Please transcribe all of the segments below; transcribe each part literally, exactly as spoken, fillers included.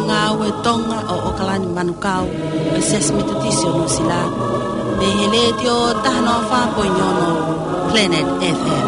Ngāue Tonga ʻo ʻOkalani Manukau, ʻo e Siasi Metotisi ʻo Nuʻusila, mei he Letiō taha noa fā poini ono Planet F M.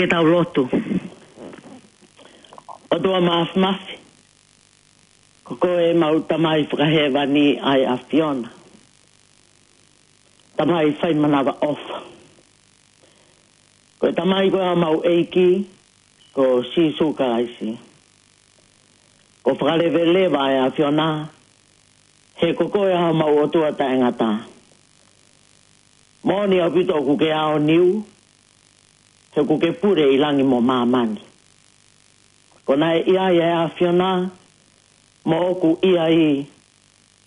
Ke tau lotu. ʻOtua Māfimafi, ko koe ʻemau Tamai Fakahēvani ʻa e ʻAfiona. Tamai fai manavaʻofa. Ko e Tamai ko homau ʻEiki, ko Sīsū Kalaisi. Ko e fakaleveleva ʻa e ʻAfiona, he ko koe ʻa homau ʻOtua taʻengata. Moʻoni ʻaupito ʻoku ke aoniu, he ʻoku ke pule ʻi langi mo māmani. Ko naʻe ʻi ai ʻa e ʻAfiona, mo ʻoku ʻi ai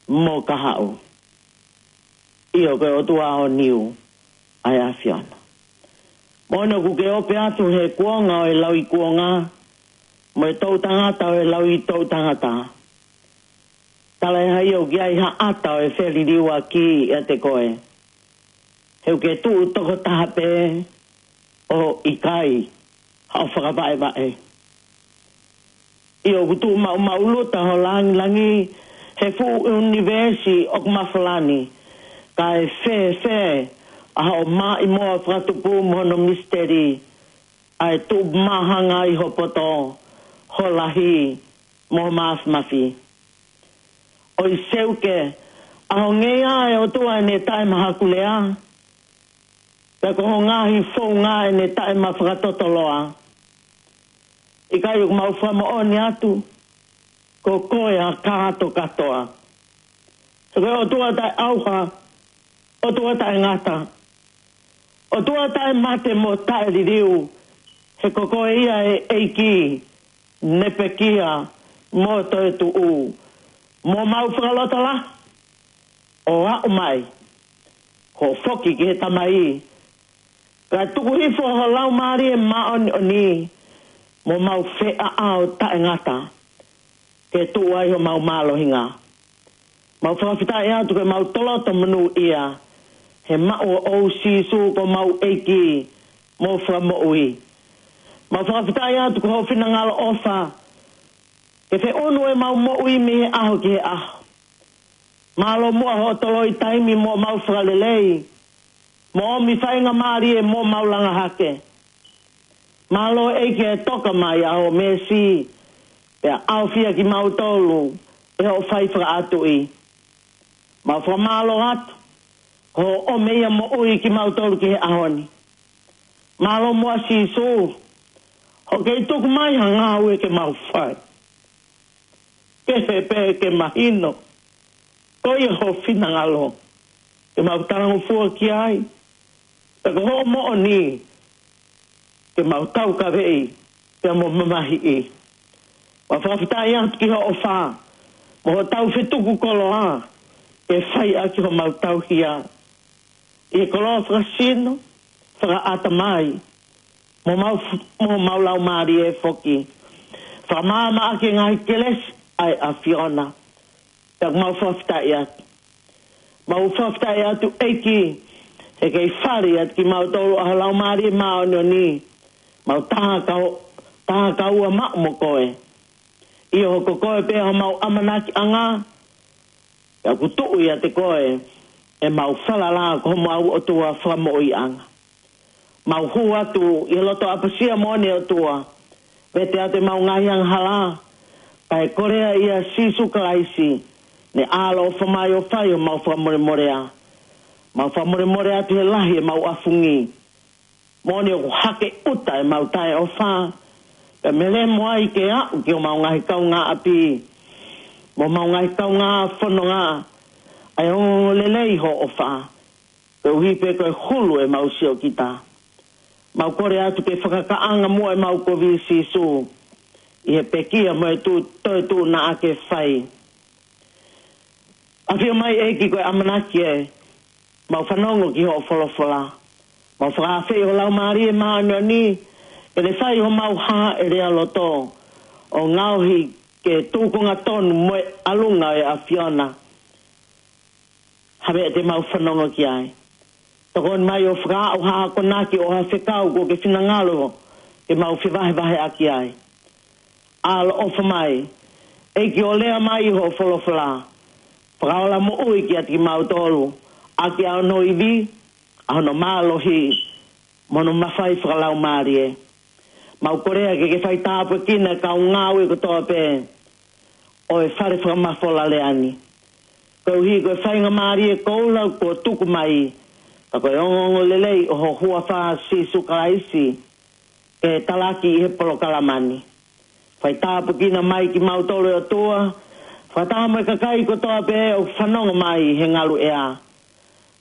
mo kahaʻu. ʻIo, ko e ʻOtua aoniu ʻa e ʻAfiona. Moʻoni ʻoku ke ope atu he kuonga ʻo e lauikuonga, mo e toʻutangata ʻo e lauitoʻutangata. Talaʻehai ʻoku ʻi ai ha ʻata ʻo e feliliuaki ʻiate koe. He ʻoku ke tuʻu tokotaha pē ʻo ʻikai haʻo fakavaʻevaʻe. ʻIo, ʻoku tuʻu maʻumaʻuluta ho langilangi he fuʻu ʻunivēsi ʻoku mafola ni. Kae fēfē ʻa hoʻo maʻimoa fakatupu mo hono misiteli, ʻa e tuʻu māhanga ʻi ho poto, ho lahi, mo ho māfimafi. ʻOi seuke, ʻa ho ngeia ʻe ʻOtua ʻene taʻemahakulea, pea ko ho ngaahi founga ʻene taʻemafakatotoloa. ʻIkai ʻoku mau fakamoʻoni atu, ko koe ʻa kātokātoa. He ko e ʻOtua taʻeʻauha, ʻOtua taʻengata, ʻOtua taʻemate mo taʻeliliu, he ko koe ia ʻe ʻEiki, ne pekia mo toetuʻu, mo mau fakalotolahi, ʻo aʻu mai, ko e foki ki he Tamai, kae tuku hifo ho Laumālie Māʻoniʻoni, mo mau feʻaʻao taʻengata, ke tuʻu ai homau mālohinga. Mau fakafetaʻi atu ke mau toloto monūʻia, he maʻu ʻo Sīsū ko homau ʻEiki mo Fakamoʻui. Mau fakafetaʻi atu ko ho finangalo ʻofa, ke feʻunu ʻemau moʻui mei he ʻaho ki he ʻaho. Mālō muʻa hoʻo toloi taimi mo mau fakalelei, mo ʻomi faingamālie mo mau langa hake. Mālō ʻEiki ʻe toka mai ʻa ho mēsi, pea ʻaofia kimautolu ʻe hoʻo fai fakaʻatuʻi. Mau fakamālō atu, hoʻo ʻomi ʻa e moʻui kimautolu ki he ʻaho ni. Mālō muʻa Sīsū, hoʻo kei tuku mai ha ngāue ke mau fai. Kehe pē ke mahino, ko ia ho finangalo, ke mau talangofua ki ai, pea ko hoʻo moʻoni, ke mau taukaveʻi, pea mo mamahiʻi. Mau fakafetaʻi atu ki hoʻo ʻofa, mo hotau fetuku koloa, ke fai ʻaki homau tauhi ā. ʻI he koloa fakasino, fakaʻatamai, mo mau f-, mo mau laumālie foki. Fakamaama ʻaki e ngaahi kelesi ʻa e ʻAfiona. Pea mau fakafetaʻi atu. Mau fakafetaʻi atu ʻEiki, he kei fale atu kimautolu ʻa ho Laumālie Māʻoniʻoni. Mau tā kau, tā kaua maʻu mo koe. ʻIo ko koe pē homau ʻamanakiʻanga, pea ʻoku tuʻu ʻiate koe ʻemau falala ko homau ʻOtua fakamoʻuiʻanga. Mau hū atu ʻi he loto ʻapasia moʻoni ʻOtua, vete atu ʻemau ngaahi angahala, kae kolea ʻia Sīsū Kalaisi, ne ʻaloʻofa mai ʻo fai homau fakamolemolea. Mau fakamolemole atu he lahi ʻemau ʻafungi. Moʻoni ʻoku hake ʻuta ʻemau taʻeʻofa, pea melemo ai ke aʻu ki homau ngaahi kaungāʻapi, mo homau ngaahi kaungā fononga, ʻa e ongoongolelei hoʻo ʻofa, koeʻuhi pē ko e hulu ʻemau siokita. Mau kole atu ke fakakaʻanga muʻa ʻemau kovi Sīsū, ʻi he pekia mo e tu-, toetuʻu naʻa ke fai. ʻAfio mai ʻEiki ko e ʻamanaki ē, mau fanongo ki hoʻo folofola. Mau fakaafeʻi ho Laumālie Māʻoniʻoni, ke ne fai homau hāʻelea loto, ʻo ngaohi ke tūkunga tonu mo e ʻalunga ʻo e ʻAfiona. Ha meʻa te mau fanongo ki ai. Tokoni mai ʻo fakaaʻu ha akonaki ʻo ha fekau kuo ke finangalo ke mau fevahevaheʻaki ai. ʻAloʻofa mai, ʻEiki, ʻo lea mai ʻi hoʻo folofola. Fakaola moʻui kiate kimautolu, ʻaki ʻa hono ivi, ʻa hono mālohi, mo hono mafai fakalaumālie. Mau kolea ke ke fai tāpuekina e kau ngāue kotoa pē ʻo e fale fakamafola lea ni. Koeʻuhi ko e faingamālie koula kuo tuku mai, ka ko e ongoongolelei ʻo ho huafa Sīsū Kalaisi, ke talaki ʻi he polokalama ni. Fai tāpuekina mai kimautolu ʻOtua, fakataha mo e kakai kotoa pē ʻoku fanongo mai he ngaluʻea.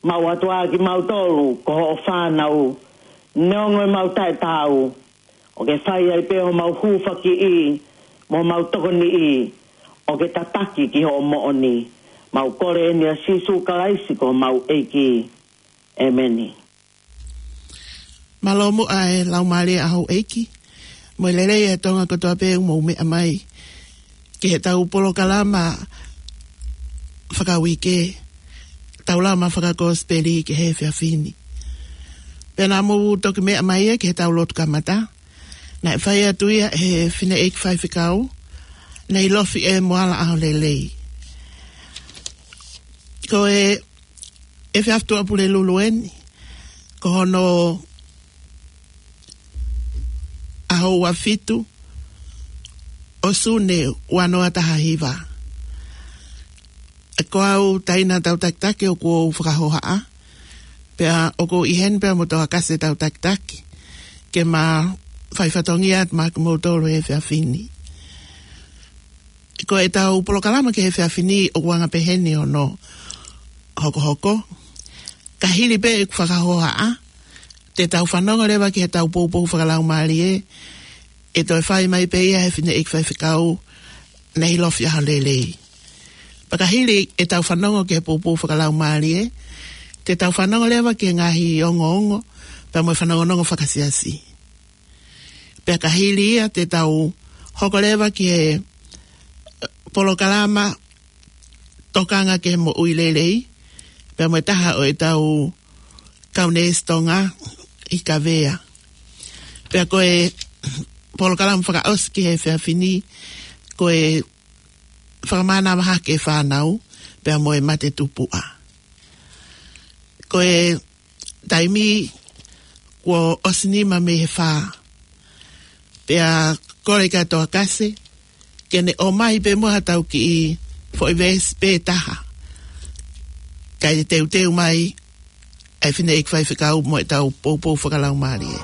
Mau ʻatu ā kimautolu ko hoʻo fānau, neongo ʻemau taʻetaau, ʻo ke fai ai pē homau hūfakiʻi, mo homau tokoniʻi, ʻo ke tataki ki hoʻo moʻoni. Mau kole eni ʻia Sīsū Kalaisi ko homau ʻEiki. ʻEmeni. Mālō muʻa e Laumālie ʻa houʻeiki, mo e lelei e Tonga kotoa pē ʻoku mou meʻa mai ki heʻetau polokalama fakauike, Taulama Fakakosipeli ki he efiafi ni. Pea naʻa mou toki meʻa mai ia ki heʻetau lotu kamata, naʻe fai atu ia ʻe he fineʻeiki faifekau, Neilofi ʻe Moala ʻAholelei. Ko e efiafi Tuʻapulelulu eni, ko hono ʻaho ua fitu ʻo Sune ua noa taha hiva. Ko au Taina Tautakitaki ʻoku ou fakahohaʻa, pea ʻoku ou ʻi heni pea mo Toakase Tautakitaki, ke ma fai fatongia atu maʻa kimoutolu he efiafi ni. Ko ʻetau polokalama ki he efiafi ni ʻoku anga pehē ni hono hokohoko. Ka hili pē ʻeku fakahohaʻa, te tau fanongo leva ki heʻetau poupou fakalaumālie, ʻe toe fai mai pē ia ʻe he fineʻeiki faifekau, Neilofi ʻAholelei. Pea ka hili ʻetau fanongo ki he poupou fakalaumālie, te tau fanongo leva ki he ngaahi ongoongo, pea mo e fanongonongo fakasiasi. Pea ka hili ia te tau hoko leva ki he, eh, polokalama tokanga ki he moʻui lelei, pea mo e taha ʻo ʻetau kau neesi Tonga ʻi Kavea. Pea ko e polokalama fakaʻosi ki he efiafi ni, ko e fakamānava hake e fānau, pea mo e mate tupuʻa. Ko e taimi kuo ʻosi nima mei he fā. Pea kole kia Toakase, ke ne ʻomai pē muʻa haʻatau kiʻi foʻi veesi pē taha. Kae teuteu mai ʻa e fineʻeiki faifekau mo ʻetau poupou fakalaumālie.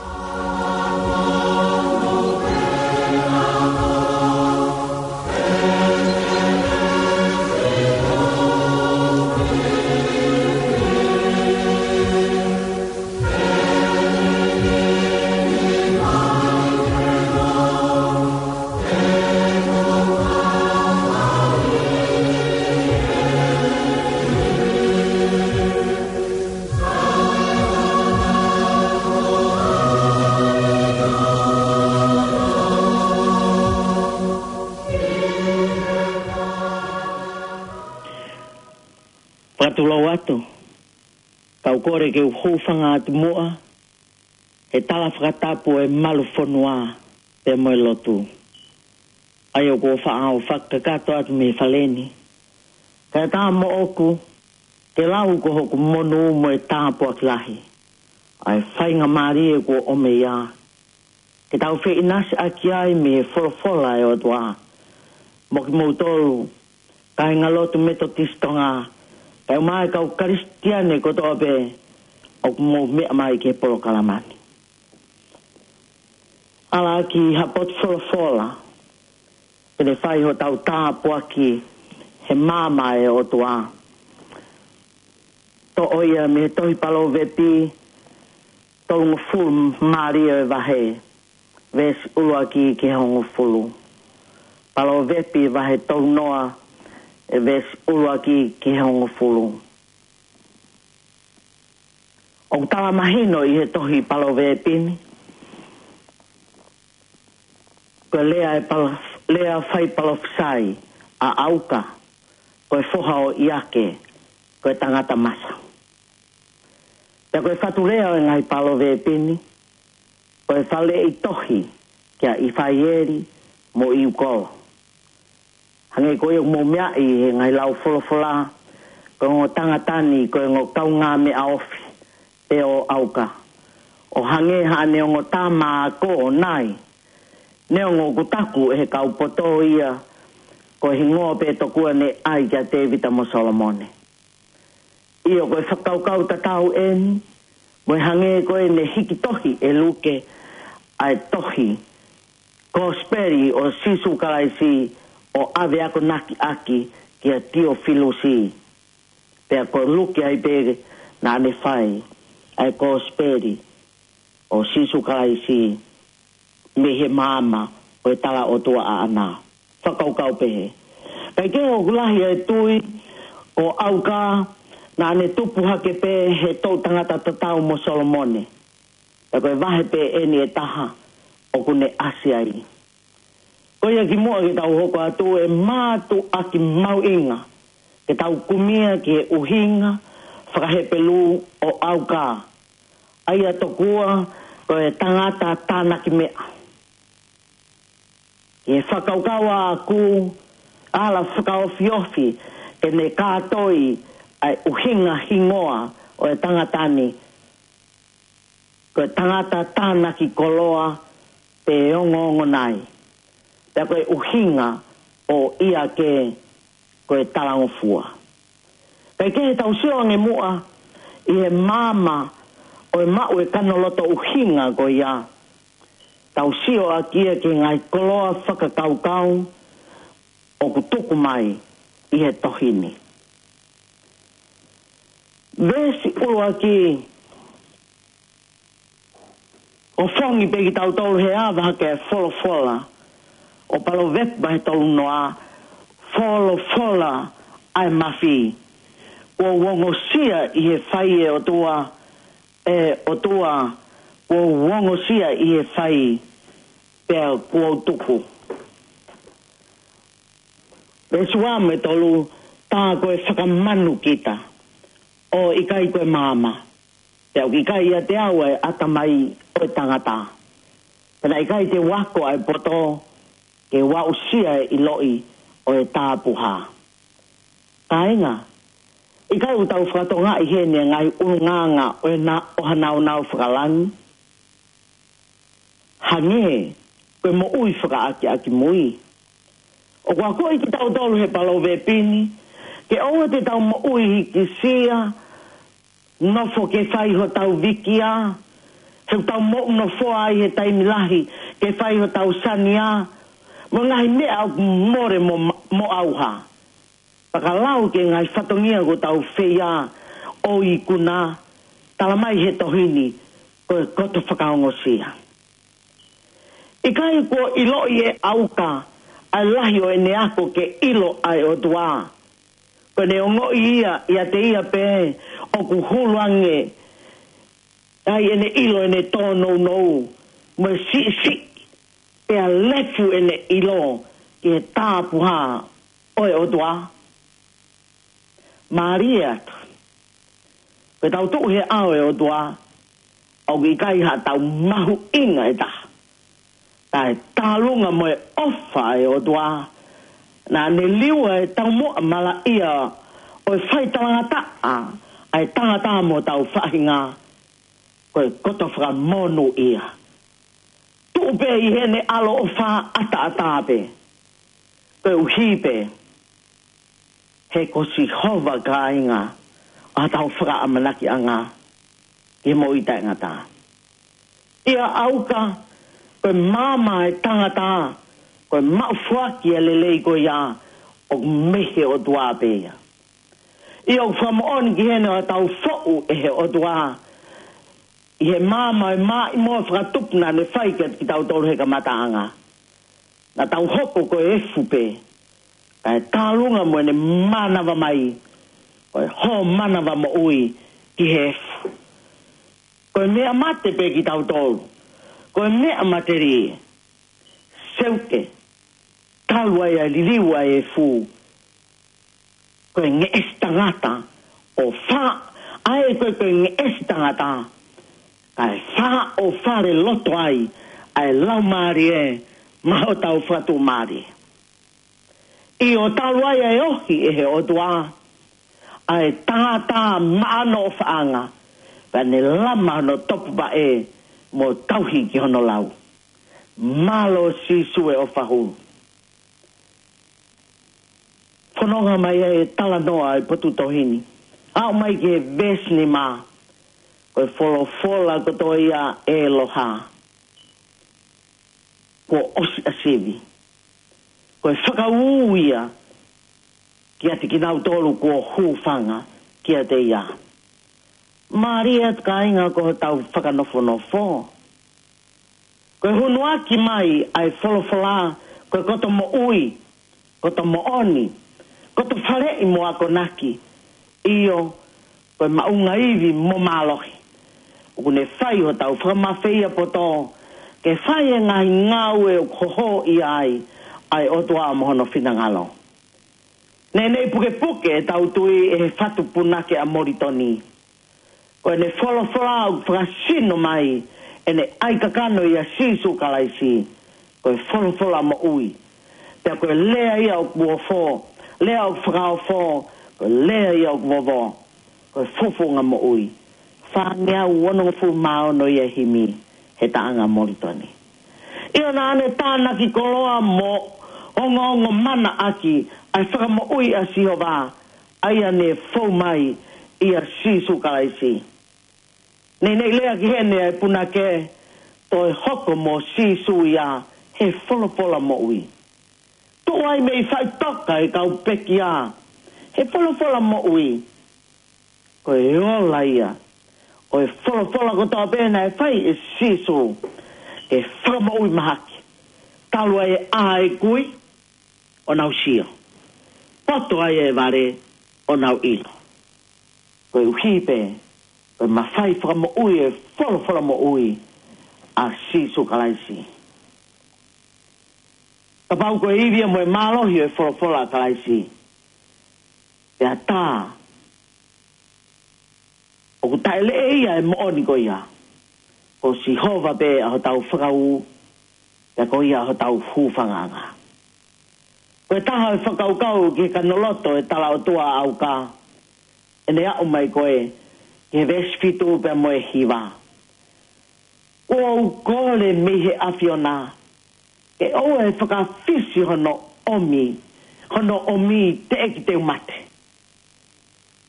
Fakatulou atu, kau kole ke u hūfanga atu muʻa he tala fakatapu ʻo e malu fonua pea mo e lotu. ʻA ia ʻoku ou faʻa ō fakakakato atu mei he fale ni. Kae ʻatā moʻoku, Ke lau ko hoku monū mo e tāpuaki lahi ʻa e faingamālie kuo ʻomi ia ke tau feʻinasiʻaki ai mei he folofola ʻa e ʻOtua. Mo kimoutolu kāinga lotu Metotisi Tonga, kae ʻumaʻā e kau Kalisitiane kotoa pē ʻoku mou meʻa mai ki he polokalama ni. ʻAlā, ki ha potu folofola ke ne fai hotau tāpuaki he maama ʻa e ʻOtua. Toʻo ia mei he tohi Palōvepi tolungofulu mā ua ʻo e vahe, veesi ʻuluaki ki he hongofulu. Palōvepi vahe tolu noa, ʻe veesi ʻuluaki ki he hongofulu. ʻOku tala mahino ʻi he tohi Palōvepi ni, ko e lea ʻa e palo-, lea fai palofisai ʻa ʻAuka, ko e foha ʻo ʻIake, ko e tangata masa. Pea ko e fatu lea ʻo e ngaahi Palōvepi ni, ko e faleʻi tohi kia ʻIfaieli mo ʻIukolo. Hangē ko ia ʻoku mou meaʻi he ngaahi lau folofola, ko e ongo tangata ni ko e ongo kaungāmeʻa ofi pē ʻo ʻAuka. ʻO hangē haʻane ongo tama ako ʻo Nai, neongo ʻoku taku ʻe he kau poto ia ko e hingoa pē tokua ne ʻai kia Tēvita mo Solomone. ʻIo, ko e fakakaukau tatau eni, mo e hangē ko ʻene hiki tohi ʻe Luke ʻa e tohi Kosipeli ʻo Sīsū Kalaisi ʻo ʻave akonakiʻaki kia Tiofilusi. Pea ko Luke ai pē naʻa ne fai ʻa e Kosipeli ʻo Sīsū Kalaisi mei he maama ʻo e tala ʻOtua ʻaʻana. Fakakaukau pehē. Kae kehe, ʻoku lahi e tui ko ʻAuka naʻa ne tupu hake pē he toʻu tangata tatau mo Solomone. Pea ko e vahe pē eni ʻe taha ʻoku ne ʻasi ai. Ko ia kimuʻa ke tau hoko atu, ʻe mātuʻaki mahuʻinga ke tau kumi ia ki he ʻuhinga faka-Hepelū ʻo ʻAuka, ʻa ia tokua ko e tangata tānaki meʻa. Ki he fakakaukau ʻaʻaku, ala fakaofiofi ke ne kātoi ʻa e ʻuhinga hingoa ʻo e tangata ni, ko e tangata tānaki koloa pe ongoongo nai. Pea ko e ʻuhinga ʻo ʻIake ko e talangofua. Kae kehe, tau sio ange muʻa ʻi he maama ʻo e maʻu e kanoloto ʻuhinga ko ia. Tau sio ʻaki ia ki he ngaahi koloa fakakaukau ʻoku tuku mai ʻi he tohi ni. Veesi ʻuluaki, ʻo fongi pē kitautolu he ʻave hake e folofola ʻo Palōvepi vahe tolu noa, folofola ʻa e mafi. Kuo u ongosia ʻi he fai, ʻe ʻOtua, ʻe ʻOtua, kuo u ongosia ʻi he fai, pea kuo u tuku. Veesi ua mo e tolu, tā ko e fakamanu kita, ʻo ʻikai ko e maama. Pea ʻoku ʻikai ʻiate au ʻa e ʻatamai ʻo e tangata. Pea naʻe ʻikai te u ako ʻa e poto, ke u aʻusia e ʻiloʻi ʻo e tāpuhā. Kāinga, ʻikai ʻoku tau fakatokangaʻi heni e ngaahi ʻulungaanga ʻo e na-, ʻo ha nāunau fakalangi? Hangē ko e moʻui fakaʻakiʻakimui. ʻOku akoʻi kitautolu he Palōvepi ni ke ʻoua te tau moʻui hikisia, nofo ke fai hotau vikia, he ʻoku tau moʻunofoa ai he taimi lahi ke fai hotau sania, mo e ngaahi meʻa ʻoku mole mo, mo ʻauha. Fakalau ki he ngaahi fatongia kuo tau feia ʻo ikuna, tala mai he tohi ni ko e koto fakaongosia. ʻIkai kuo ʻiloʻi ʻe ʻAuka ʻa e lahi ʻo ʻene ako ke ʻilo ʻa e ʻOtua. Ko ʻene ongoʻi ia ʻiate ia pē ʻoku hulu ange ai ʻene ʻilo ʻene tōnounou mo e siʻisiʻi, pea lefu ʻene ʻilo ki he tāpuhā ʻo e ʻOtua. Mālie atu. Ko ʻetau tuʻu he ʻao ʻo e ʻOtua, ʻoku ʻikai haʻatau mahuʻinga ʻe taha. Ka e tālunga mo e ʻofa ʻa e ʻOtua, naʻa ne liua e taumuʻa malaʻia ʻo Ko e fai talangataʻa ʻa e tangata mo hotau faʻahinga, ko e koto fakamonūʻia. Tuʻu pē ʻi heʻene ʻaloʻofa ʻataʻatā pē. Koeʻuhi pē he ko Sihova, kāinga, ʻa hotau fakaʻamanakiʻanga ki he moʻui taʻengata. ʻIa ʻauka, ko e maama ʻa e tangata, ko e maʻu foaki ʻa e lelei ko ia, ʻoku mei he ʻOtua pē ia. ʻIa ʻoku fakamoʻoni ki heʻene ʻo tau foʻu ʻe he ʻOtua ʻi he maama ʻo e maʻimoa fakatupu naʻa ne fai kiate kitautolu he kamataʻanga. Naʻa tau hoko ko e efu pē, kae tālunga mo ʻene mānava mai, ko e hō mānava moʻui ki he efu. Ko e meʻa mate pē kitautolu, ko e meʻa matelie. Seuke, talu ai ʻa e liliu ʻa e efu, ko e ngeʻesi tangata ʻo fā, ʻa e ko e, ko e ngeʻesi tangata, kae fā ʻo fale loto ai ʻa e laumālie maʻa hotau fakatuʻumālie. ʻIo, talu ai ʻa e ohi ʻe he ʻOtua ʻa e tangata maʻa hono ʻofaʻanga, pea ne lama hono topuvaʻe mo tauhi ki hono lau. Mālō Sīsū e ʻofa hulu. Fononga mai ʻa e talanoa ʻa e potu tohi ni. Aʻu mai ki he veesi nima, ko e folofola kotoa ia ʻe loha, kuo ʻosi ʻa sivi. Ko e fakaū ia kiate kinautolu kuo hūfanga kiate ia. Mālie atu kāinga ko hotau fakanofonofo. Ko e hunuaki mai ʻa e folofola, ko e koto moʻui, koto moʻoni, koto faleʻi mo akonaki. ʻIo, ko e maʻunga ivi mo mālohi. ʻOku ne fai hotau fakamafeia poto, ke fai e ngaahi ngāue ʻoku hohoʻi ai ʻa e ʻOtua mo hono finangalo. Neʻineʻi pukepuke ʻetau tui ʻe he fatu punake ʻa Molitoni. Ko ʻene folofola ʻoku fakasino mai ʻene ʻai kakano ʻia Sīsū Kalaisi, ko e folofola moʻui. Pea ko e lea ia ʻoku ofo, lea ʻoku fakaofo, ko e lea ia ʻoku vovo, ko e fofonga moʻui. Fāngeau onongofulu mā ono ia himi he taʻanga Molitoni. ʻIo, naʻa ne tānaki koloa mo ongoongo mana ʻaki ʻa e fakamoʻui ʻa Sihova, ʻa ia ne fou mai ʻia Sīsū Kalaisi. Neʻineʻi lea ki heʻene ʻa e punake, toe hoko mo Sīsū ia he folofola moʻui. Tuʻu ai mei faʻitoka e kau pekia he folofola moʻui. Ko e ola ia ʻo e folofola kotoa pē naʻe fai ʻe Sīsū ke fakamoʻui mahaki. Talu ai ʻa e kui, ʻo nau sio. Poto ai e vale, ʻo nau ʻilo. Koeʻuhi pē ko e mafai fakamoʻui e folofola moʻui ʻa Sīsū Kalaisi. Kapau ko e ivi ia mo e mālohi ʻo e folofola ʻa Kalaisi, pea tā ʻoku taʻeleʻe ia e moʻoni ko ia, ko Sihova pē ʻa hotau fakaū, pea ko ia hotau hūfangaʻanga. Ko e taha ʻo e fakakaukau ki he kanoloto e talaʻotua ʻa ʻAuka, ʻene aʻu mai ko ē ki he veesi fitu pea mo e hiva. Kuo u kole mei he ʻAfiona ke ʻoua ʻe fakafisi hono ʻomi, hono ʻomi teʻeki te u mate.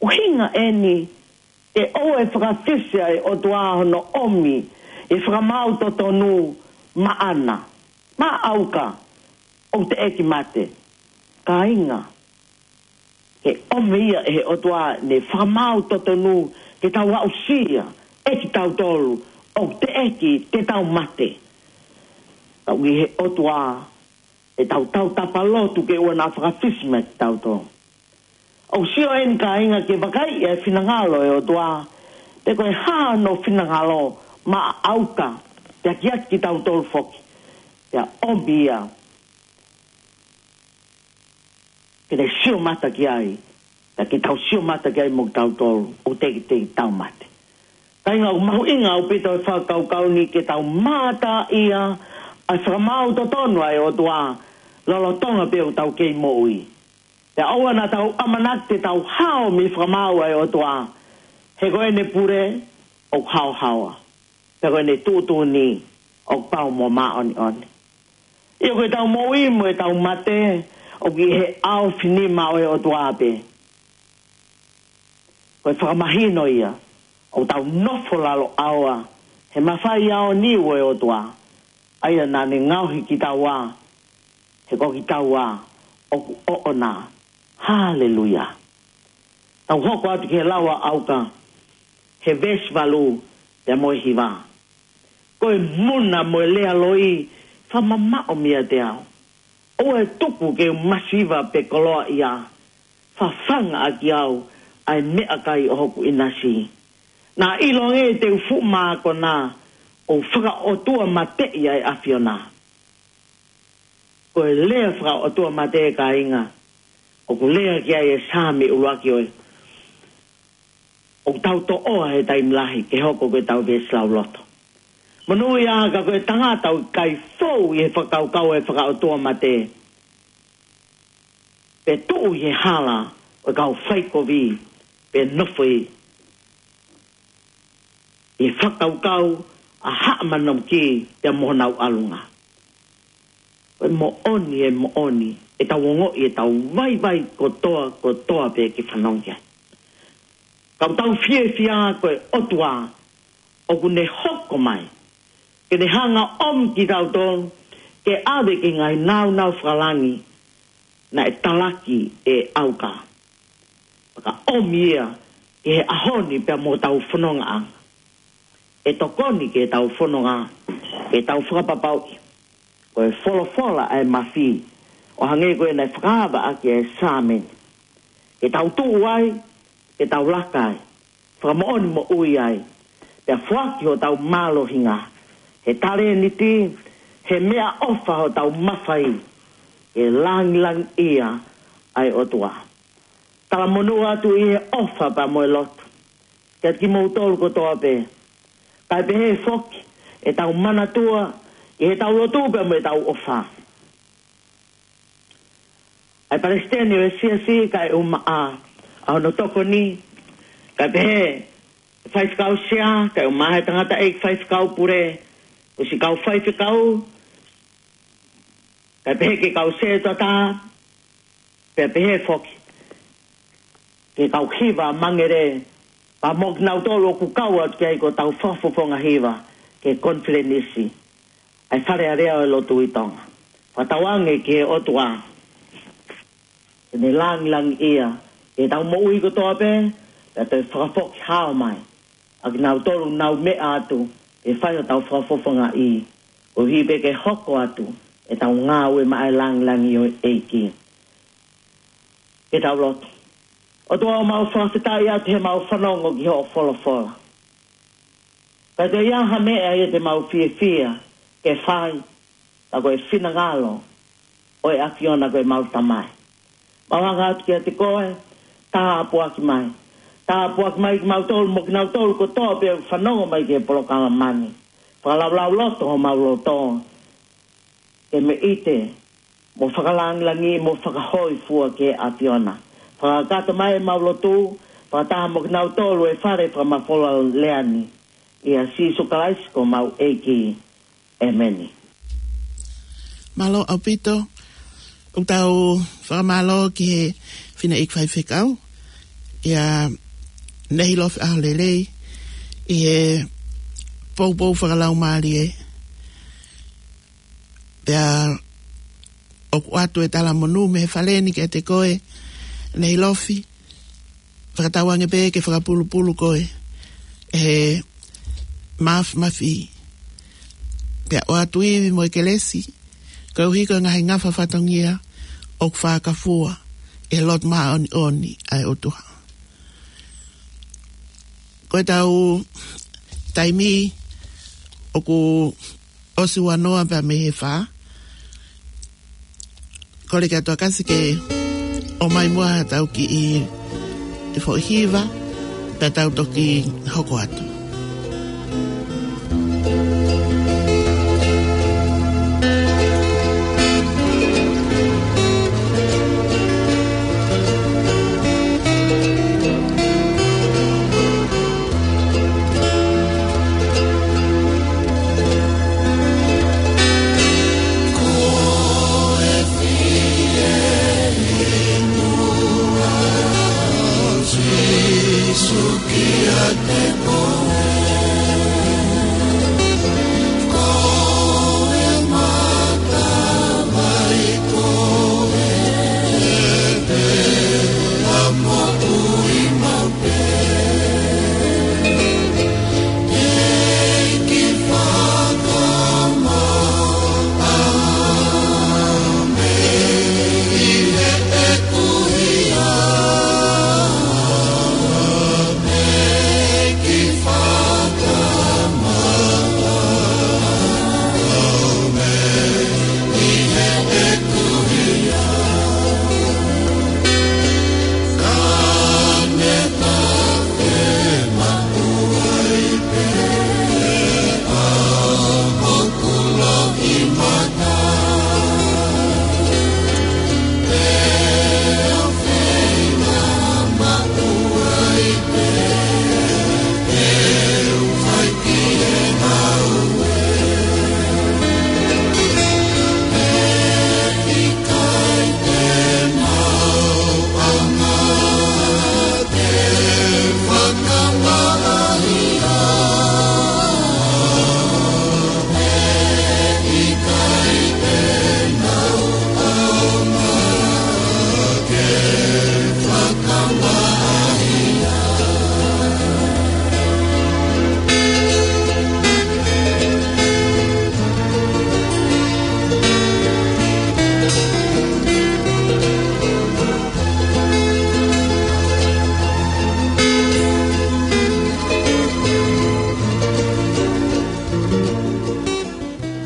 ʻUhinga eni ke ʻoua ʻe fakafisi ʻa e ʻOtua hono ʻomi e fakamaau totonu maʻana, maʻa ʻAuka, ʻoku teʻeki mate. Kāinga, ke ʻomi ia ʻe he ʻOtua ʻene fakamaau totonu ke tau aʻusia ʻe kitautolu ʻoku teʻeki te tau mate. Tau ʻi he ʻOtua ʻe tau tautapa lotu ke ʻoua naʻa fakafisi mai kitautolu. ʻOku sio eni kāinga ke vakaiʻi e finangalo e ʻOtua, pe ko e hā hono finangalo maʻa ʻAuka, pea kiate kitautolu foki, pea ʻomi ia ke ne sio mata ki ai, pea ke tau sio mata ki ai mo kitautolu, ʻoku teʻeki te tau mate. Kāinga, ʻoku mahuʻinga ʻaupito e fakakaukau ni ke tau mātā ia ʻa e fakamaau totonu ʻa e ʻOtua, lolotonga pē ʻoku tau kei moʻui. Pea ʻoua naʻa tau ʻamanaki te tau hao mei he fakamaau ʻa e ʻOtua, he ko ʻene pule ʻoku haohaoa, pea ko ʻene tuʻutuʻuni ʻoku pau mo māʻoniʻoni. ʻIo, ko ʻetau moʻui mo ʻetau mate ʻoku ʻi he ʻaofinima ʻo e ʻOtua pē. Ko e fakamahino ia ʻoku tau nofo lalo ʻaoa he mafai ʻaoniu ʻo e ʻOtua, ʻa ia naʻa ne ngaohi kitaua, he ko kitaua ʻoku ʻoʻona. Haleluia. Tau hoko atu ki he lau ʻa ʻAuka, he veesi valu pea mo e hiva. Ko e muna mo e lea loi, fakamamaʻo meiate au. ʻOua ʻe tuku ke u masiva pe koloaʻia, fafanga ʻaki au ʻa e meʻakai ʻo hoku ʻinasi. Naʻa ʻiloange te u fuʻu mākona, ʻo fakaʻotua mateʻi ʻa e ʻAfiona. Ko e lea fakaʻotua mate, kāinga, ʻoku lea ki ai e Saame ʻuluaki ʻo e, ʻoku tau toʻoa he taimi lahi ke hoko ko ʻetau veesi lauloto. Monūʻia ka ko e tangata ʻoku ʻikai fou ʻi he fakakaukau ʻo e fakaʻotua mate, pe tuʻu ʻi he hala ʻo e kau faikovi, pe nofo ʻi he fakakaukau ʻa haʻa manamuki pea mo honau ʻalunga. Ko e moʻoni, e moʻoni, ʻetau ongoʻi ʻetau vaivai kotoa, kotoa pē ke fanongo ki ai. Ka ʻoku tau fiefia ko e ʻOtua ʻoku ne hoko mai ke ne hanga ʻo ʻomi kitautolu ke ʻave ki he ngaahi nāunau fakalangi naʻe talaki ʻe ʻAuka. Fakaʻomi ia ki he ʻaho ni pea mo ʻetau fonongaʻanga. ʻE tokoni ki heʻetau fononga, ke tau fakapapauʻi ko e folofola ʻa e mafi, ʻo hangē ko ia naʻe fakaava ʻaki ʻe he Saame ni. Ke tau tuʻu ai, ke tau laka ai, fakamoʻoni moʻui ai, pea foaki hotau mālohinga, he talēniti, he meʻaʻofa hotau mafai, ke langilangiʻia ʻa e ʻOtua. Talamonū atu ʻi he ʻofa pea mo e lotu kiate kimoutolu kotoa pē. Kae pehē foki ʻetau manatua ʻi heʻetau lotu pea mo ʻetau ʻofa ʻa e palesiteni ʻo e siasi, kae ʻumaʻā ʻa hono tokoni, kae pehē faifekau sea, kae ʻumaʻā e tangataʻeiki faifekau pule, ʻosi kau faifekau, kae pehē ki he kau sētuata, pea pehē foki ki he kau hiva mangele, pea mo kinautolu ʻoku kau atu ki ai ko ʻetau fakafofonga hiva ki he konifelenisi ʻa e Fale Alea ʻo e Lotu ʻi Tonga. Fakatauange ki he ʻOtua ke ne langilangiʻia ʻetau moʻui kotoa pē, pea toe fakafoki hao mai ʻa kinautolu ʻoku nau meʻa atu ke fai hotau fakafofongaʻi, koeʻuhi pē ke hoko atu ʻetau ngāue maʻa e langilangi ʻo e ʻEiki. Ke tau lotu. ʻOtua, ʻoku mau fakafetaʻi atu heʻemau fanongo ki hoʻo folofola. Ka ʻoku ʻi ai ha meʻa ia te mau fiefia ke fai, ka ko e finangalo ʻo e ʻAfiona ko ʻemau Tamai. Mau hanga atu kiate koe, tāpuaki mai. Tāpuaki mai kimautolu mo kinautolu kotoa pē ʻoku fanongo mai ki he polokalama ni. Fakalaulauloto homau loto ke meʻite mo fakalangilangi mo fakahōifua ki he ʻAfiona. Fakakakato mai ʻemau lotu, fakataha mo kinautolu ʻi he fale fakamafola lea ni. ʻIa Sīsū Kalaisi ko homau ʻEiki. ʻEmeni. Mālō ʻaupito, ʻoku tau fakamālō ki he fineʻeiki faifekau, ʻia Nehilofi ʻAholelei, ʻi he poupou fakalaumālie. Pea ʻoku ʻoatu e talamonū mei he fale ni kiate koe, Nehilofi, fakatauange pē ke fakapulupulu koe ʻe he Mafimafi. Pea ʻoatu ivi mo e kelesi, koeʻuhi ko e ngaahi ngafa fatongia ʻoku fakafua ʻe he lotu māʻoniʻoni ʻa e ʻOtua. Ko ʻetau taimi ʻoku ʻosi ua noa pea mei he fā. Kole ki he ʻOtua ke ʻomai muʻa haʻatau kiʻi foʻi hiva, pea tau toki hoko atu.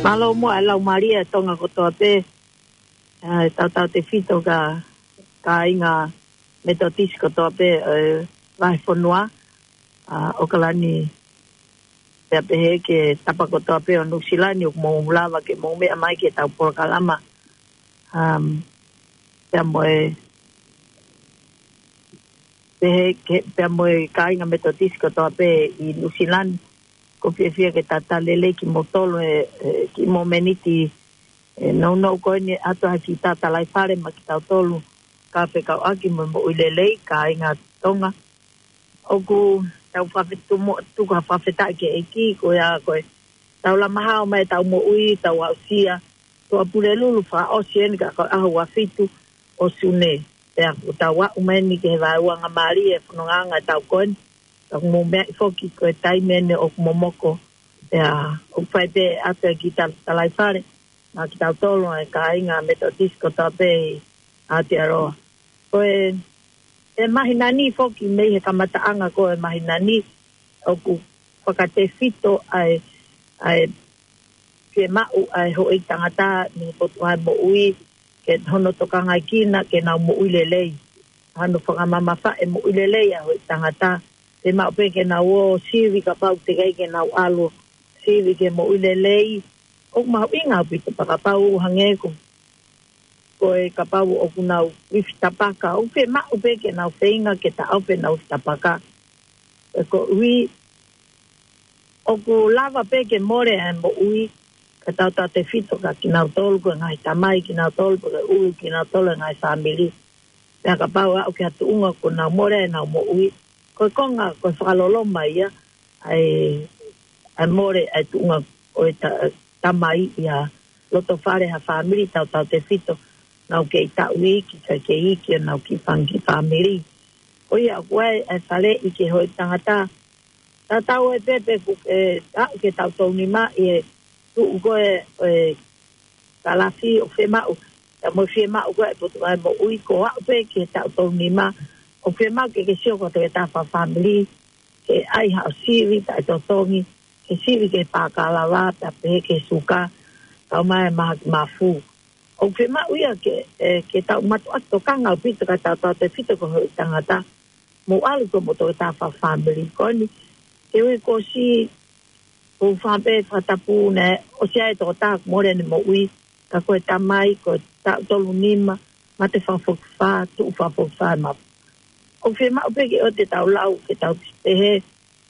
Mālō muʻa e laumālie ʻa Tonga kotoa pē, ʻa e tautautefito ki he kāinga Metotisi kotoa pē, ʻa e vahefonua, ʻa ʻAokalani, pea pehē ki he tapa kotoa pē ʻo Nuʻusila ni ʻoku mou lava ke mou meʻa mai ki heʻetau polokalama. Um, pea mo e, pehē ki he, pea mo e kāinga Metotisi kotoa pē ʻi Nuʻusila ni, ʻoku ou fiefia ke talitali lelei kimoutolu he, he kiʻi momeniti, ʻe nounou ko eni ʻa e ʻato ha kiʻi tatalaifale maʻa kitautolu, ka fekauʻaki mo e moʻui lelei, kāinga Tonga. ʻOku tau fakafetumu-, tuku ha fakafetaʻi ki he ʻEiki, ko ia ko e tau lama hao mai ʻetau moʻui, tau aʻusia, Tuʻapulelulu fakaʻosi eni ka ko e ʻaho ua fitu ʻo Sune. Pea ʻoku tau aʻu mai eni ki he vaeuangamālie e fonongaʻanga ʻetau ko eni. Ka ʻoku mou meaʻi foki ko e taimi eni ʻoku momoko. Pea ʻoku fai pē ʻato e kiʻi tal-, talaifale maʻa kitautolu ʻa e kāinga Metotisi kotoa pē ʻi Aotearoa. Ko e, e māhina ni foki mei he kamataʻanga ko e māhina ni ʻoku fakatefito ʻa e, ʻa e fiemaʻu ʻa e houʻeiki tangata mei he Potungāue Moʻui, ke hono tokangaʻekina ke nau moʻui lelei. Hano fakamamafaʻi e moʻui lelei ʻa e houʻeiki tangata. Fiemaʻu pē ke nau ō sivi kapau teʻeki ai ke nau ʻalu sivi ke moʻui lelei. ʻOku mahuʻinga ʻaupito pea kapau hangē ko, ko e kapau ʻoku nau ifi tapaka. ʻOku fiemaʻu pē ke nau feinga ke taʻofi ʻenau ifi tapaka. Ē, koeʻuhi ʻoku lava pē ke mole ʻa e moʻui, ka tautautefito kia kinautolu ko e ngaahi tamai, kinautolu ko e ʻulu, kinautolu e ngaahi fāmili. Pea kapau ʻe aʻu ki ha tuʻunga kuo nau mole ʻenau moʻui, ko e konga, ko e fakaloloma ia ʻa e, ʻa e mole ʻa e tuʻunga ʻo e ta-, tamai ʻi ha loto fale ha fāmili, tautautefito nau kei taʻu iiki, kae kei iiki ʻenau kiʻi fanga kiʻi fāmili. Ko ia ʻoku ʻi ai e faleʻi ki he houʻeiki tangata. Tatau ai pē pe ʻoku, ē, aʻu ki he taʻu tolu nima ʻi he tuʻu ko ē, ē, kalafi ʻoku fiemaʻu, pea mo e fiemaʻu ko ē ʻa e Potungāue Moʻui, ko e aʻu pē ki he taʻu tolu nima ʻoku fiemaʻu ke ke sio ki ho toketā fakafāmili, ke ʻai haʻo sivi taʻetotongi, ke sivi ki he pākalava, pea pehē ki he suka, kau mai e mahaki mafu. ʻOku fiemaʻu ia ke, ē, ke tau mātuʻaki tokanga ʻaupito ka tautautefito ki he houʻeiki tangata, mou ʻalu ki hoʻomou toketā fakafāmili. Ko eni, ke ui ko si, ko u fāpē fakatapu naʻe ʻosi ʻa e toketā kuo mole ʻene moʻui, ka ko e tamai, ko e taʻu tolu nima, mate fakafokifā, tuʻu fakafokifā e mafu. ʻOku fiemaʻu pē ke ʻoua te tau lau, ke tau pehē,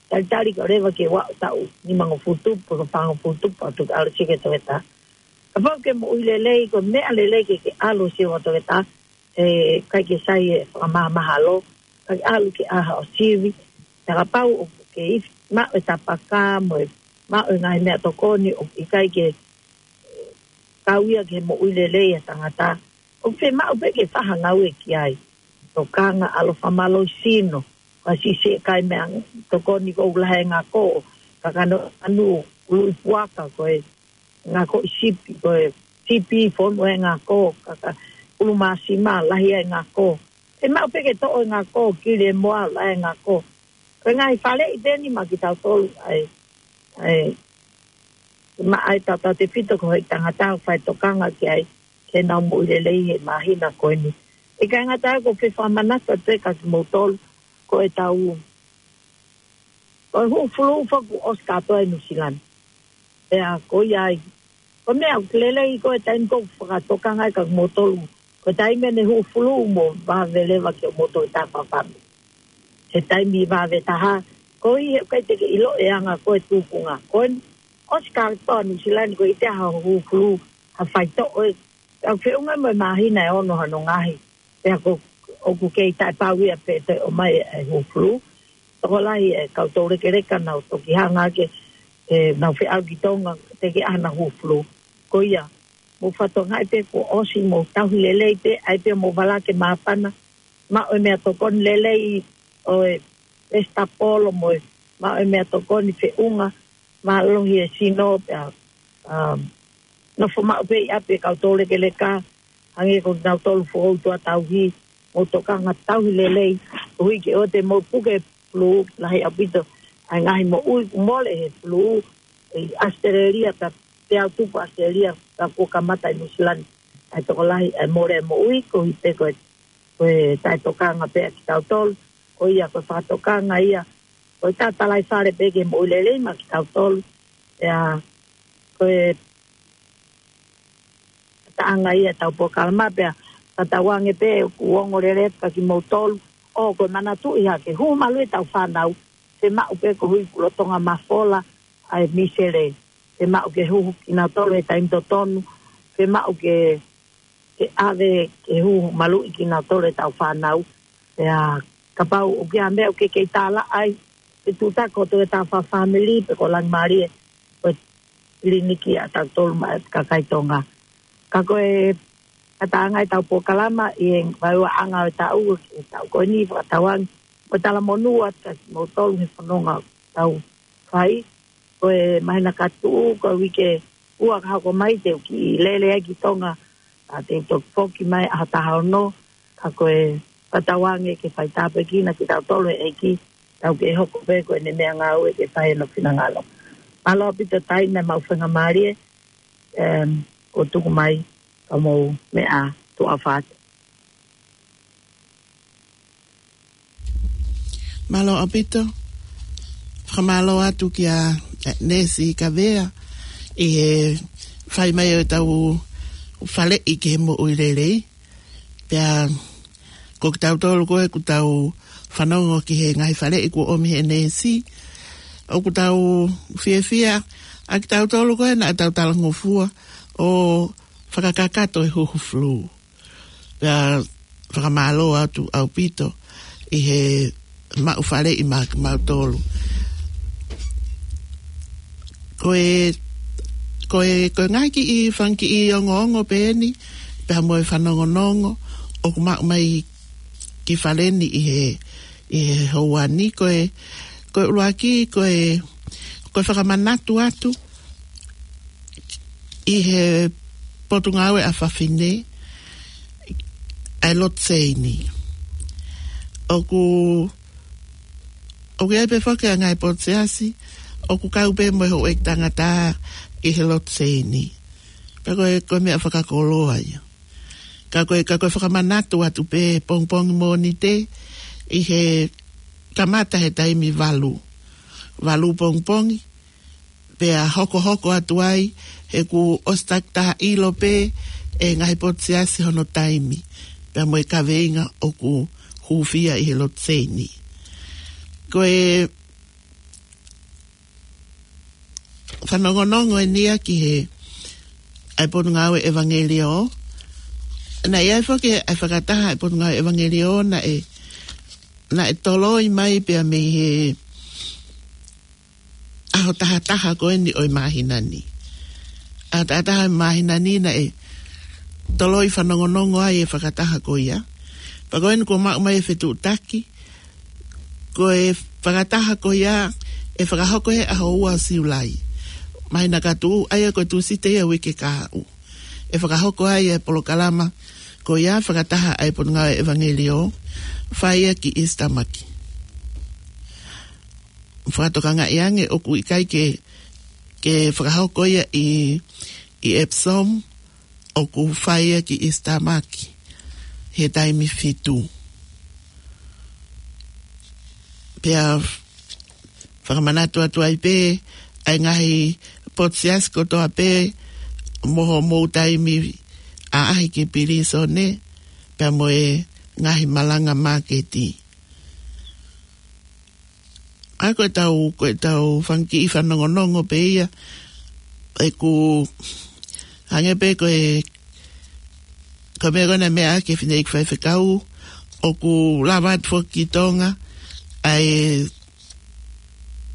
talitali ka leva ke ua taʻu, nimangofulu tupu, pe ko e fāngofulu tupu, ʻo tuku ʻalu siʻi ki he toketā. Kapau ke moʻui lelei, ko e meʻa lelei ke ke ʻalu siʻi ki he toketā, ē, ʻikai ke sai e fakamāmahalo, kae ʻalu ke ʻai haʻo sivi, Ka kapau ʻoku ke ifi, maʻu e tapaka mo e, maʻu e ngaahi meʻatokoni ʻoku ʻikai ke kau ia ki he moʻui lelei ʻa e tangata. ʻOku fiemaʻu pē ke fai ha ngāue ki ai. Tokanga, ʻalu fakamālohisino, ka sisi e kai meʻatokoni ko e lahi e ngako, kakano anu, ului puaka, ko e ngako ʻi sipi, ko e sipi fonu e ngako, kaka ʻulu māsima, lahi e ngako. Fiemaʻu pē ke toʻo e ngako, kili e moa, lahi e ngako. Ko e ngaahi faleʻi pē eni maʻa kitautolu, ʻa e, ʻa e, maʻa e tautautefito ko e tangata ʻoku fai tokanga ki ai, ke nau moʻui lelei he māhina ko eni. ʻIkai ngata ai, ʻoku ou fie fakamanatu atu pē kia kimoutolu, ko e tau, ko e hū fulū foki kuo ʻosi kātoa ʻi Nuʻusila ni. Pea ko ia ai. Ko e meʻa ʻoku lelei ko e taimi ko ē ʻoku fakatokanga ai kia kimoutolu. Ko e taimi ʻene hū fulū mo vave leva ke mou toki tā fafame. He taimi vave taha, ko ia ʻoku ʻikai te ke ʻilo e anga ko e tuʻunga. Ko eni, ʻosi kātoa Nuʻusila ni, ko e ʻikai te ha hū fulū, ha faitoʻo ē. Ka feʻunga mo e māhina ʻe ono hono ngaohi. Pea ko, ʻoku kei taʻepau ia pe toe ʻomai e hū fulū. Tokolahi e kau toulekeleka nau toki hanga ke, ke nau feʻao ki Tonga, teʻeki ai ha hū fulū. Ko ia, mou fakatokangaʻi pē kuo ʻosi, mou tauhi lelei pē, ʻai pē mou vala ke māpana, maʻu e meʻatokoni lelei ʻo e pesitapolo mo e, maʻu e meʻatokoni feʻunga, mālohi e sino, pea, um, nofo maʻu pē ʻi ʻapi e kau toulekeleka, hangē ko kinautolu foʻou tuʻa tauhi, mou tokanga tauhi lelei, koeʻuhi ke ʻoua te mou puke fulū, lahi ʻaupito ʻa e ngaahi moʻui kuo mole he fulū, ʻi ʻAositelēlia pea, pea tupu ʻAositelēlia, pea kuo kamata ʻi Nuʻusila ni. ʻA e tokolahi, ʻa e mole moʻui, koeʻuhi pē ko e, ko e taʻetokanga pē ʻa kitautolu, ko ia ko e fakatokanga ia, ko e tatalaifale pē ke moʻui lelei maʻa kitautolu, pea ko e taʻanga ia ʻetau polokalama pea, ka tauange pē ʻoku ongo lelei kia kimoutolu, ʻo ko e manatuʻi hake, hū malu ʻetau fānau, fiemaʻu pē koeʻuhi kuo lolotonga mafola ʻa e misele, fiemaʻu ke hū kinautolu he taimi totonu, fiemaʻu ke, ke ʻave ke hū maluʻi kinautolu ʻetau fānau, pea kapau ʻoku ʻi ai ha meʻa ʻoku ke kei tālaʻa ai, ke tūtaki kotoa ʻetau fakafāmili, pe ko e langimālie, ko e kiliniki ʻa tautolu maʻa e kakai Tonga. Ka ko e, ka tauange ʻetau polokalama, ʻi he vaeuaʻanga ʻo e taʻu, ʻi he taʻu ko eni, fakatauange, ko e talamonū atu kia kimoutolu he fononga ʻoku tau fai, ko e māhina ka tuʻu, ko e uike ua ka hoko mai te u kiʻi lele ai ki Tonga, ʻa te u toki foki mai ʻaho taha ono, ka ko e fakatauange ke fai tāpuekina kitautolu ʻe he ʻEiki, tau ke hoko pē ko ʻene meʻangāue ke fai hono finangalo. Mālō ʻaupito taimi mo e faingamālie, em, kuo tuku mai, ka mou meʻa tuʻa fat. Mālō ʻaupito. Fakamālō atu kia, eh, Nesi Kavea ʻi he fai mai ʻo ʻetau faleʻi ki he moʻui lelei. Pea ko kitautolu ko ē ʻoku tau fanongo ki he ngaahi faleʻi kuo ʻomi he Nesi, ʻoku tau fiefia ʻa kitautolu ko ē naʻa tau talangofua ʻo fakakakato e huhu fulū. Pea fakamālō atu ʻaupito ʻi he maʻu faleʻi maʻa kimautolu. Ko e, ko e, ko e ngaahi kiʻi fanga kiʻi ongoongo pē eni, pea mo e fanongonongo ʻoku maʻu mai ki fale ni ʻi he, ʻi he houa ni, ko e, ko e ʻuluaki, ko e, ko e fakamanatu atu ʻi he Potungāue ʻa Fafine ʻa e lotu seini. ʻOku, ʻoku ʻi ai pē foki ʻa e ngaahi potu siasi ʻoku kau pē mo e houʻeiki tangata ʻi he lotu seini. Pea ko e, ko e meʻa fakakoloa ia. Ka ko e, ka ko e fakamanatu atu pē pongipongi Mōnite ʻi he kamata he taimi valu. Valu pongipongi, pea hokohoko atu ai, he kuo ʻosi takitaha ʻilo pē ʻe he ngaahi potu siasi hono taimi, pea mo e kaveinga ʻoku hūfia ʻi he lotu seini. Ko e fanongonongo eni ia ki he, ʻa e Potungāue ʻEvangeliō. Naʻe ʻi ai foki ʻa e fakataha ʻa e Potungāue ʻEvangeliō naʻe naʻe toloi mai pea mei he ʻaho taha taha ko eni ʻo e māhina ni. ʻAho taha taha ʻo e māhina ni naʻe toloi fanongonongo ai e fakataha ko ia. Pea ko eni kuo maʻu mai e fetuʻutaki, ko e fakataha ko ia ʻe fakahoko he ʻaho ua ʻo Siulai. Māhina ka tuʻu, ʻa ia ko e Tūsite ia uike kahaʻu. ʻE fakahoko ai e polokalama ko ia fakataha ʻa e Potungāue ʻEvangeliō, fai ia ki East Tamaki. Fakatokangaʻi ange ʻoku ʻikai ke, ke fakahoko ia ʻi, ʻi Epsom, ʻoku fai ia ki East Tamaki he taimi fitu. Pea fakamanatu atu ai pē ʻa e ngaahi potu siasi kotoa pē mo hoʻomou taimi ʻaʻahi ki pilīsone, pea mo e ngaahi malanga māketi. ʻA ia ko ʻetau, ko ʻetau fanga kiʻi fanongonongo pē ia, ʻoku hangē pē ko e, ko e meʻa ko ena meʻa ki he fineʻeiki faifekau, ʻoku lava atu foki ki Tonga ʻa e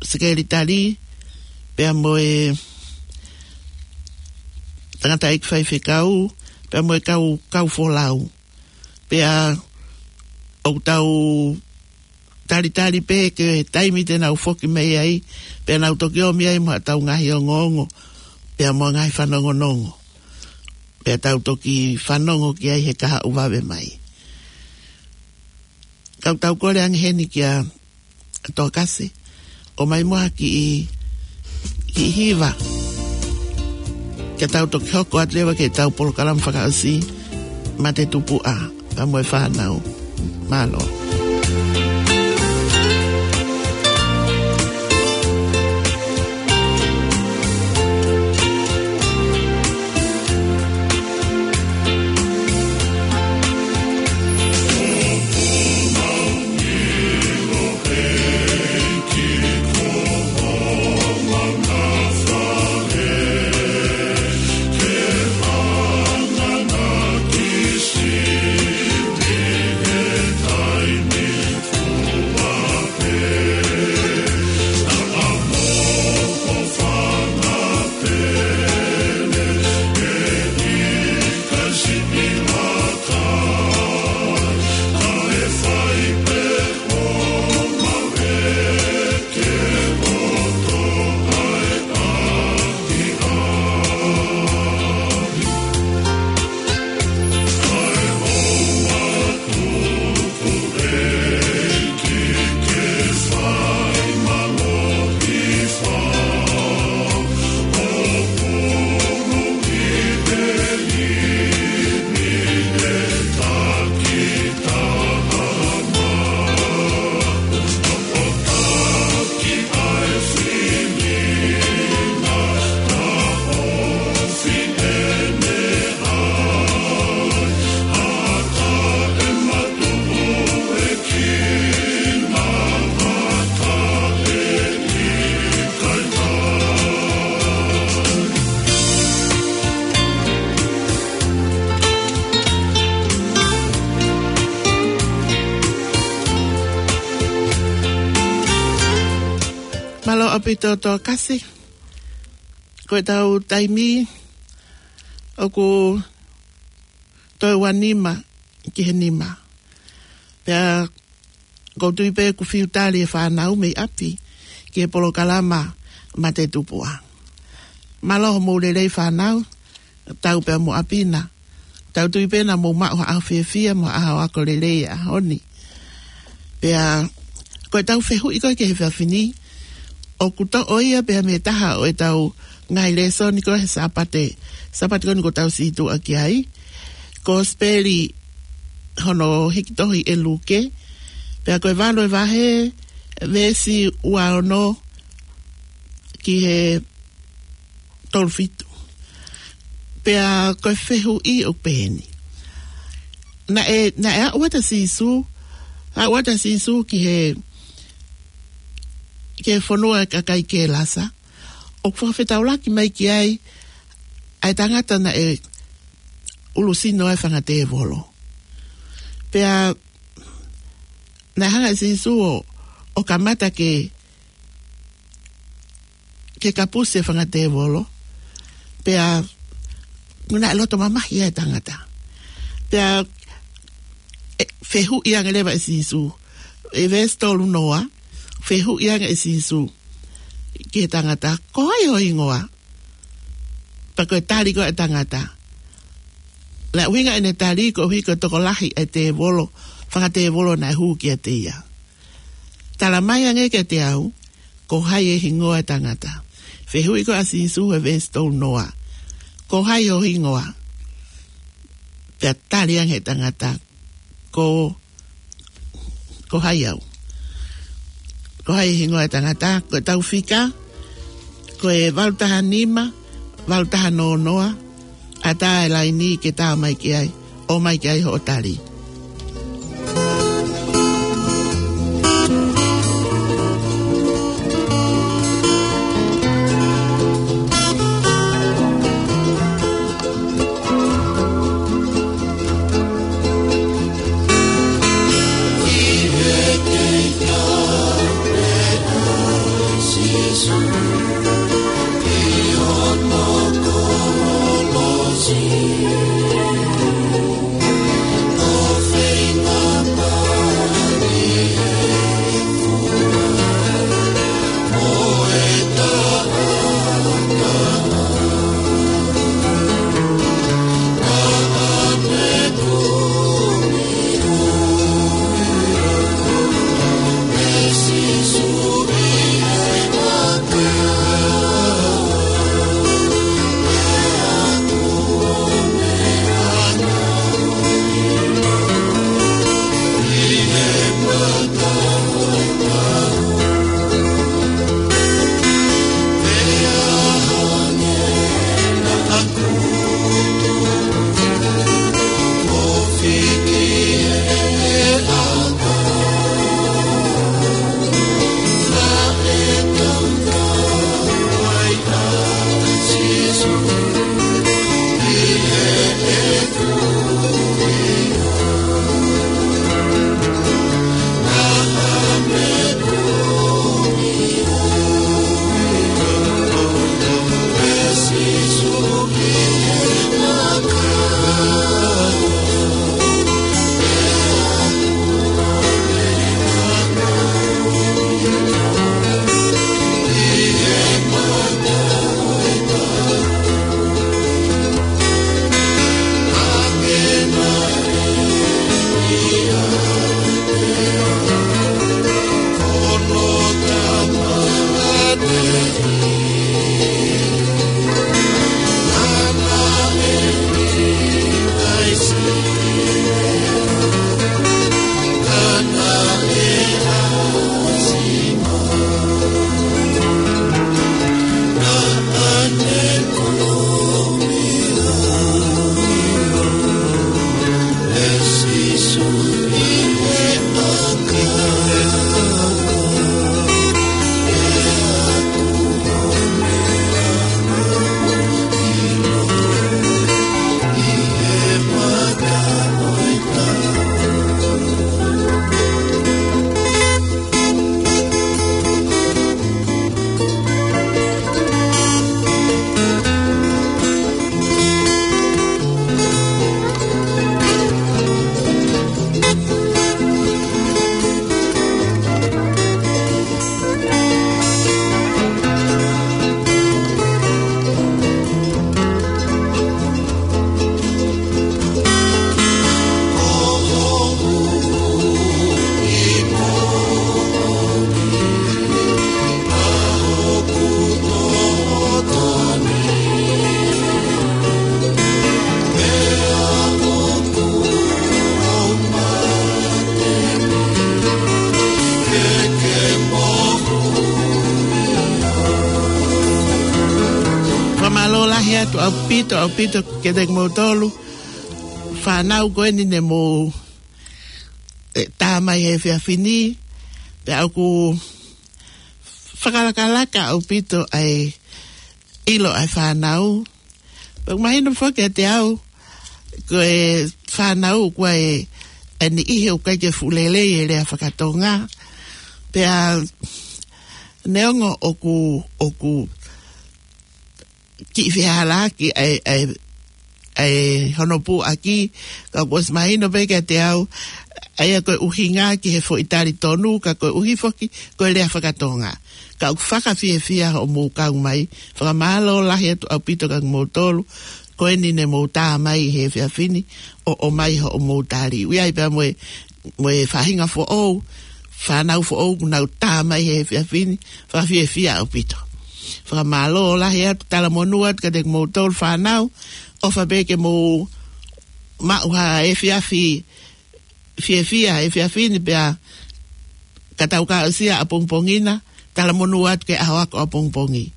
sekelitali, pea mo e tangataʻeiki faifekau, pea mo e kau, kau folau. Pea ʻoku tau talitali pē ki he taimi te nau foki mai ai, pea nau toki ō mai ai mo ʻetau ngaahi ongoongo, pea mo e ngaahi fanongonongo. Pea tau toki fanongo ki ai he kahaʻu vave mai. Ka ʻoku tau kole ange heni kia Tokasi ʻo mai mo ha kiʻi, kiʻi hiva. Ke tau toki hoko atu leva ki heʻetau polokalama fakaʻosi, Mate Tupuʻa, pea mo e fānau. Mālō. Mālō ʻaupito Tokasi. Ko ʻetau taimi ʻoku toe ua nima ki he nima. Pea ʻoku ou tui pē ʻoku fiu tali e fānau mei ʻapi ki he polokalama Mate Tupuʻa. Mālō hoʻomou lelei fānau, tau pea mo ʻapi na. Tau tui pē naʻa mou maʻu ha ʻaho fiefia mo ha ʻaho ako lelei he ʻaho ni. Pea ko ʻetau fehuʻi ko ē ki he efiafi ni, ʻoku toʻo ia pē mei he taha ʻo ʻetau ngaahi lēsoni ko ē he Sāpate, Sāpate ko eni kuo tau situʻa ki ai. Kosipeli hono hiki tohi ʻe Luke, pea ko e valu e vahe, veesi ua ono ki he tolu fitu. Pea ko e fehuʻi ʻoku pehē ni. Naʻe, naʻe aʻu atu ʻa Sīsū, aʻu atu ʻa Sīsū ki he, ki he fonua ʻo e kakai Kelasa, ʻoku fakafetaulaki mai ki ai ʻa e tangata naʻe ʻulusino ai e fanga tēvolo. Pea naʻe hanga ʻe Sīsū ʻo, ʻo kamata ke, ke kapusi e fanga tēvolo. Pea, naʻe loto mamahi ʻa e tangata. Pea, ʻe, fehuʻi ange leva ʻe Sīsū. ʻI he veesi tolu noa, fehuʻi ange ʻe Sīsū ki he tangata, ko hai ho hingoa? Pea ko e tali ko ē ʻa e tangata. Naʻe ʻuhinga ʻene tali koeʻuhi ko e tokolahi ʻa e tēvolo, fanga tēvolo naʻe hū kiate ia. Tala mai ange kiate au, ko hai e hingoa ʻo e tangata. Fehuʻi ko ē ʻa Sīsū he veesi tolu noa, ko hai ho hingoa? Pea tali ange ʻe he tangata, ko, ko hai au? Ko hai e hingoa ʻo e tangata? Ko ʻetau fika, ko e valu taha nima, valu taha noa noa, ʻatā e laini ke tā mai ki ai, ʻomai ki ai hoʻo tali. Fakamālō lahi atu ʻaupito, ʻaupito kiate kimoutolu fānau ko eni ne mou, ē, tā mai he efiafi ni, pea ʻoku fakalakalaka ʻaupito ʻa e ʻilo ʻa e fānau. Pea ʻoku mahino foki kiate au, ko e fānau ʻoku ʻi ai e ʻa e niʻihi ʻoku ʻikai ke fuʻu lelei e lea fakatonga. Pea neongo ʻoku, ʻoku kiʻi fehālaaki ʻa e, ʻa e, ʻa e hono puʻaki, ka kuo ʻosi mahino pē kiate au, ʻa ia ko e ʻuhinga ki he foʻi tali tonu, ka koeʻuhi foki, ko e lea fakatonga. Ka ʻoku fakafiefia hoʻomou kau mai, fakamālō lahi atu ʻaupito kia kimoutolu, ko eni ne mou tā mai he efiafi ni, ʻo, ʻomai hoʻomou tali. ʻOku ʻi ai pea mo e, mo e faʻahinga foʻou, fānau foʻou, kuo nau tā mai he efiafi ni, fakafiefia ʻaupito. Fakamālō lahi atu, talamonū atu kiate kimoutolu fānau, ʻofa pē ke mou maʻu ha efiafi fiefia, efiafi ni pea ka tau ka ʻosi ʻapongipongi na, talamonū atu ki he ʻaho ako ʻapongipongi.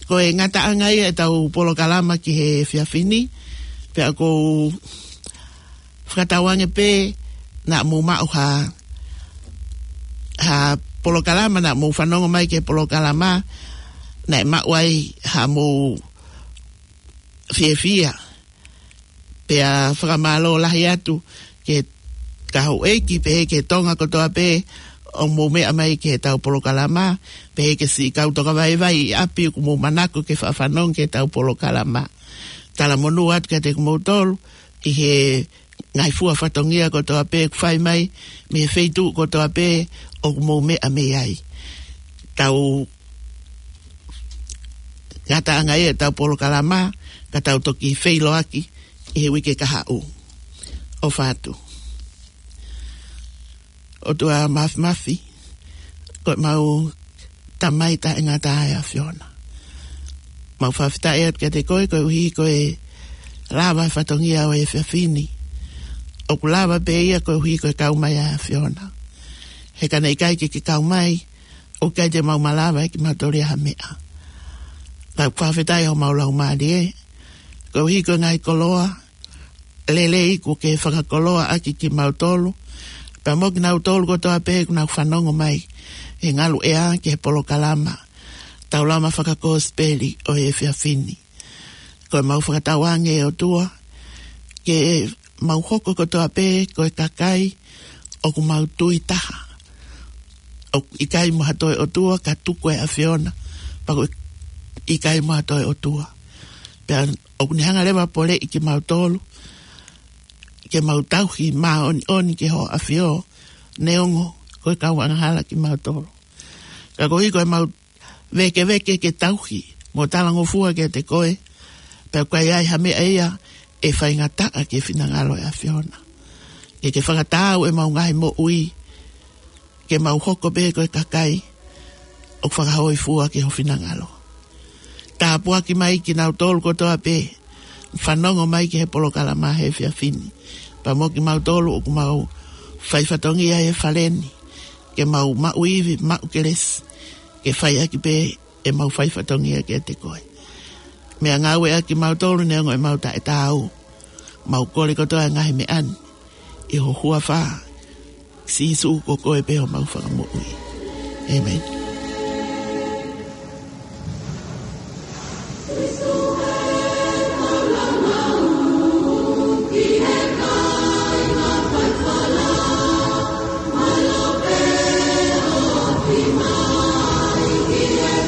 Ko e ngataʻanga ia ʻetau polokalama ki he efiafi ni, pea ʻoku ou fakatauange pē naʻa mou maʻu ha, ha polokalama, naʻa mou fanongo mai ki he polokalama, naʻe maʻu ai haʻamou fiefia. Pea fakamālō lahi atu ki he kau houʻeiki pehē ki he Tonga kotoa pē ʻoku mou meʻa mai ki heʻetau polokalama, pehē ki he siʻi kau tokavaivai ʻi ʻapi ʻoku mou manako ke faʻa fanongo ki heʻetau polokalama. Talamonū atu kiate kimoutolu ʻi he ngaahi fua fatongia kotoa pē ʻoku fai mai mei he feituʻu kotoa pē ʻoku mou meʻa mei ai. Tau ngataʻanga ia ʻetau polokalama, ka tau toki feʻiloaki ʻi he uike kahaʻu. ʻOfa atu. ʻOtua Māfimafi, ko ʻemau Tamai taʻengata ʻa e ʻAfiona. Mau fakafetaʻi atu kiate koe, koeʻuhi ko e lava e fatongia ʻo e efiafi ni. ʻOku lava pē ia koeʻuhi ko e kau mai ʻa e ʻAfiona. He ka naʻe ʻikai ke ke kau mai, ʻoku ʻikai te mau malava ʻe kimautolu ia ha meʻa. Ka ʻoku fakafetaʻi homau laumālie, koeʻuhi ko e ngaahi koloa lelei kuo ke fakakoloaʻaki kimautolu, pea mo kinautolu kotoa pē ʻoku nau fanongo mai he ngalu ʻea ki he polokalama Taulama Fakakosipeli ʻo e efiafi ni. Ko ʻemau fakatauange ʻOtua, ke mau hoko kotoa pē ko e kakai ʻoku mau tui taha. ʻOku ʻikai mo ha toe ʻotua ka tuku e ʻAfiona, pea ko e ʻikai mo ha toe ʻotua. Pea ʻoku ne hanga leva ʻo poleʻi kimautolu, ke mau tauhi māʻoniʻoni ki hoʻo ʻAfio, neongo ko e kau angahala kimautolu. Ka koeʻuhi ko ʻemau vēkeveke ke tauhi mo talangofua kiate koe, pea ʻoku ʻikai ha meʻa ia ʻe faingataʻa ki he finangalo ʻo e ʻAfiona. Ke ke fakataau ʻemau ngaahi moʻui, ke mau hoko pē ko e kakai ʻoku fakahōifua ki ho finangalo. Tāpuaki mai kinautolu kotoa pē fanongo mai ki he polokalama he efiafi ni, pea mo kimautolu ʻoku mau fai fatongia he fale ni, ke mau maʻu ivi, maʻu kelesi, ke fai ʻaki pē ʻemau fai fatongia kiate koe. Meʻangāueʻaki kimautolu neongo ʻemau taʻetaau. Mau kole kotoa e ngaahi meʻa ni ʻi ho huafa, Sīsū, ko koe pē homau Fakamoʻui. ʻĒmeni.